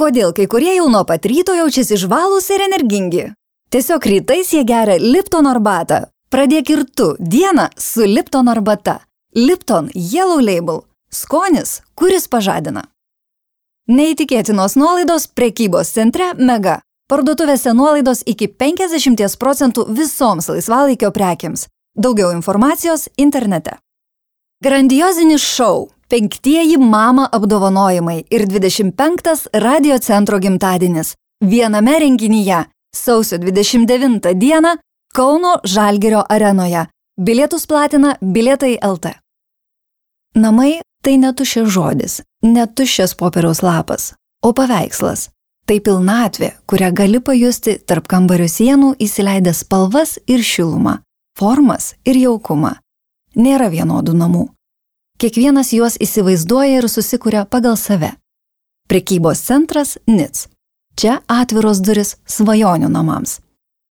Kodėl kai kurie jau nuo pat ryto jaučiasi žvalūs ir energingi? Tiesiog rytais jie geria Lipton arbatą. Pradėk ir tu dieną su Lipton arbata. Lipton Yellow Label. Skonis, kuris pažadina. Neįtikėtinos nuolaidos prekybos centre Mega. Parduotuvėse nuolaidos iki 50% visoms laisvalaikio prekiams. Daugiau informacijos internete. Grandiozinis šou. 5 mama apdovanojimai ir 25 radio centro gimtadienis. Viename renginyje. Sausio 29 dieną Kauno Žalgirio arenoje. Bilietus platina Bilietai LT. Namai tai netuščias žodis, netuščias popieriaus lapas, o paveikslas. Tai pilnatvė, kurią gali pajusti tarp kambario sienų įsileidęs spalvas ir šilumą, formas ir jaukumą. Nėra vienodų namų. Kiekvienas juos įsivaizduoja ir susikuria pagal save. Prekybos centras NIC. Čia atviros duris svajonių namams.